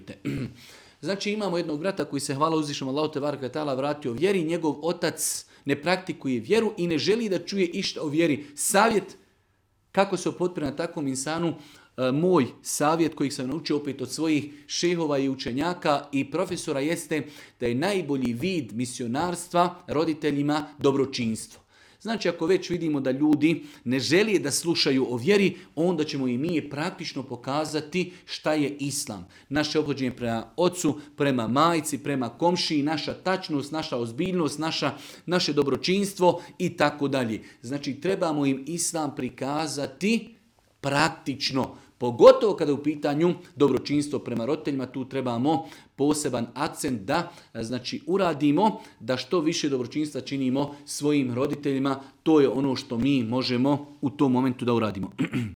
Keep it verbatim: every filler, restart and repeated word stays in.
dijete. Znači imamo jednog brata koji se, hvala uzvišnom Allahu te bareke ve taala, vratio vjeri, njegov otac ne praktikuje vjeru i ne želi da čuje išta o vjeri. Savjet kako se opotpire na takvom insanu, moj savjet kojeg sam naučio opet od svojih šehova i učenjaka i profesora jeste da je najbolji vid misionarstva roditeljima dobročinstvo. Znači ako već vidimo da ljudi ne žele da slušaju o vjeri, onda ćemo i mi praktično pokazati šta je islam. Naše ophođenje prema ocu, prema majci, prema komšiji, naša tačnost, naša ozbiljnost, naša, naše dobročinstvo i tako dalje. Znači trebamo im islam prikazati praktično. Pogotovo kada je u pitanju dobročinstvo prema roditeljima, tu trebamo poseban akcent da znači uradimo, da što više dobročinstva činimo svojim roditeljima. To je ono što mi možemo u tom momentu da uradimo.